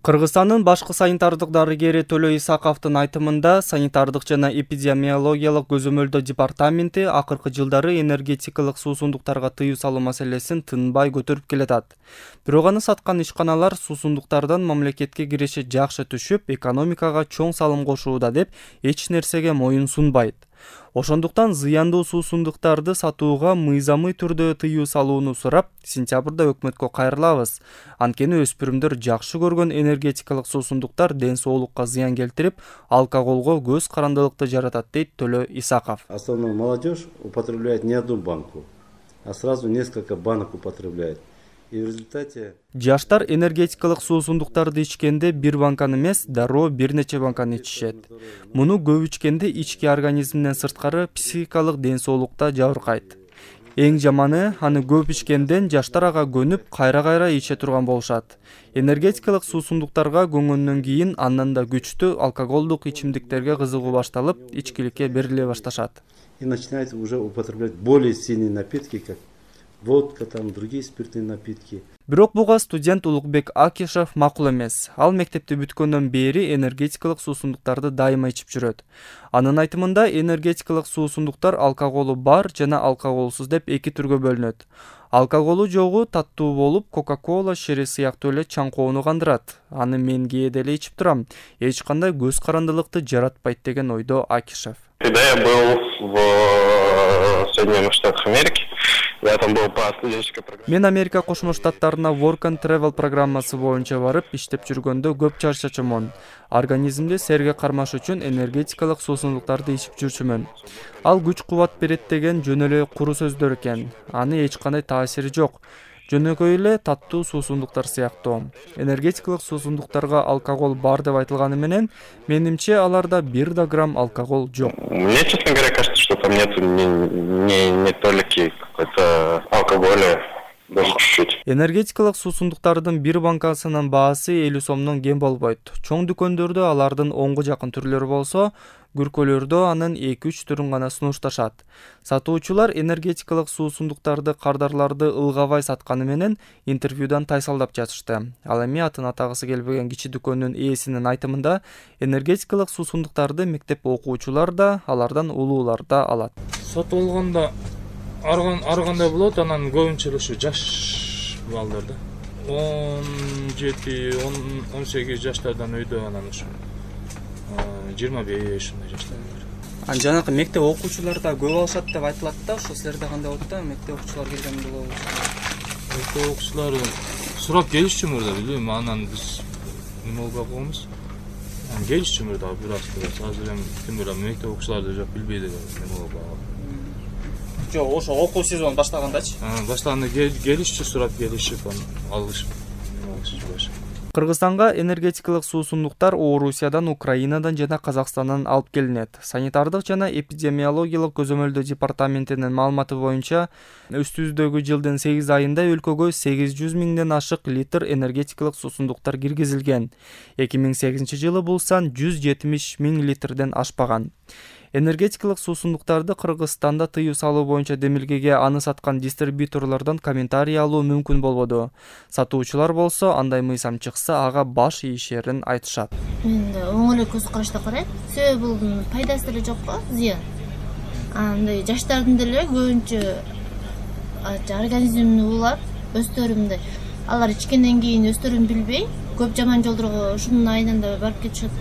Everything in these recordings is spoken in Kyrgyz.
Кыргызстандын башкы санитардык дарыгери Төлө Исаковдун айтымында, санитардык жана эпидемиологиялык көзөмөлдөө департаменти акыркы жылдары энергетикалык суусундуктарга тыюу салуу маселесин тынбай көтөрүп келатат. Бирок аны саткан ишканалар суусундуктардан мамлекетке кириши жакшы түшүп, экономикага чоң салым кошууда деп эч нерсеге моюн сунбайт. Ошондуктан зыяндуу суусундуктарды сатууга мыйзамый түрдө тыюу салууну сурап, сентябрда өкмөткө кайрылабыз. Анткени өспүрүмдөр жакшы көргөн энергетикалык суусундуктар ден соолукка зыян келтирип, алкоголго көз карандылыкты жаратат, дейт Төлө Исаков. Основная молодежь употребляет не одну банку, а сразу несколько банок употребляет. И в результате жаштар энергетикалык суусундуктарды ичкенде бир банканы эмес, дароо бир нече банканы ичишет. Муну көп ичкенде ички организмден сырткары психикалык ден соолукта жабыркайт. Эң жаманы, аны көп ичкенден жаштар ага көнүп, кайра иче турган болушат. Энергетикалык суусундуктарга көнгөндөн кийин андан да күчтүү алкоголдук ичимдиктерге кызыгуу башталып, ичкиликке бериле башташат. И начинает уже употреблять более сильные напитки, как водка, там другие спиртные напитки. Бирок буга студент Улукбек Акишев макул эмес. Ал мектепти бүткөндөн бери энергетикалык суусундуктарды дайыма ичип жүрөт. Анын айтымында, энергетикалык суусундуктар алкоголу бар жана алкоголсуз деп эки түргө бөлүнөт. Алкоголу жогу таттуу болуп, Кока-кола, шери сыяктуу эле чаңкоону кандырат. Аны мен кээде эле ичип турам. Эч кандай көз карандылыкты жаратпайт, деген ойдо Акишев. Когда я был в Соединенных Штатах Америки, я там был по студенческой программе. Мен Америка Кошмо Штаттарына Work and Travel программасы боюнча барып, иштеп жүргөндө көп чарчачумун. Организмди серге кармаш үчүн энергетикалык суусундуктарды ичип жүрчүмүн. Ал күч-кубат берет деген жөн эле куру сөздөр экен. Аны эч кандай таасири жок. Жөнөкөй эле таттуу суусундуктар сыяктуу. Энергетикалык суусундуктарга алкогол бар деп айтылганы менен, менимче аларда 1 грамм алкогол жок. Мне, честно говоря, кажется, что там нет не толики какой-то алкоголя, даже чуть-чуть. Энергетикалык суусундуктардын бир банкасынын баасы 50 сомдон кем болбойт. Чоң дүкөндөрдө алардын 10га жакын түрлөрү болсо, күркөлөрдө анын 2-3 түрүн гана сунушташат. Сатуучулар энергетикалык суусундуктарды кардарларды ылгабай сатканы менен интервьюдан тайсалдап жатышты. Ал эми атын атагысы келбеген кичи дүкөндүн ээсинин айтымында, энергетикалык суусундуктарды мектеп окуучулар да, алардан улуулар да алат. Сатып алганда аргандай болот, анан көбүнчө ушу жаш балдар да. 17-18 жаштардан өйдө, анан ушу 25 ушундай жаштар бар. Жанакы мектеп окуучулар да көп алышат деп айтылат да, ошо силерде кандай болот да, мектеп окуучулар келген болобу? Мектеп окуучулар сурап келишчүмүр да, билбейм, анан биз неме болбой койбуз. Келишчүмүр да бир аз. Азыр эми ким билет, мектеп окуучуларды жок билбейт эле неме болбой. Жок, ошо окуу сезон баштагандачы? Баштаганда келишчү, сурап келишип, алышып, алышып. Кыргызстанга энергетикалык суусундуктар Орусиядан, Украинадан жана Казакстандан алып келинет. Санитардык жана эпидемиологиялык көзөмөлдөө департаментинин маалыматы боюнча, үстүбүздөгү жылдын 8 айында өлкөгө 800 миңден ашык литр энергетикалык суусундуктар киргизилген. 2008 жылы бул сан 170 миң литрден ашпаган. Энергетикалык суусундуктарды Кыргызстанда тыюу салуу боюнча демилгеге аны саткан дистрибьюторлордон комментарий алуу мүмкүн болбоду. Сатуучулар болсо, андай мыйзам чыкса, ага баш ийишерин айтышат. Мен оң эле көз карашта карайм. Себеби бул пайдасы деле жок го, зыян. Андай жаштардын деле көбүнчө организмин улап, өстөрүмдө алар ичкенден кийин өстөрүн билбей, көп жаман жолдорго ушунун айнанда барып кетишет.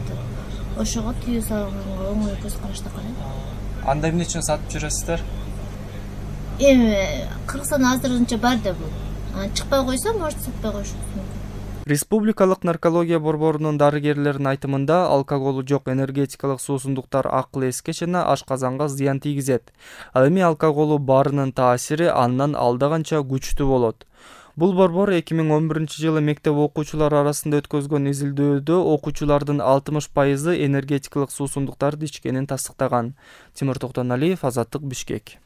Ошого тыюу салганга оң эле көз карашта карайм. Анда эмне үчүн сатып жүрөсүздөр? Эми Кыргызстанда азырынча бар да бул. Чыкпай койсо, может сатпай коюшу мүмкүн. Республикалык наркология борборунун дарыгерлеринин айтымында, алкоголу жок энергетикалык суусундуктар акыл эске жана ашказанга зыян тийгизет. Ал эми алкоголу барынын таасири андан алда канча күчтүү болот. Бул борбор 2011 жылы мектеп окуучулары арасында өткөзгөн изилдөөдө окуучулардын 60% энергетикалык суусундуктарды ичкенин тастыктаган. Тимур Токтоналиев, Азаттык, Бишкек.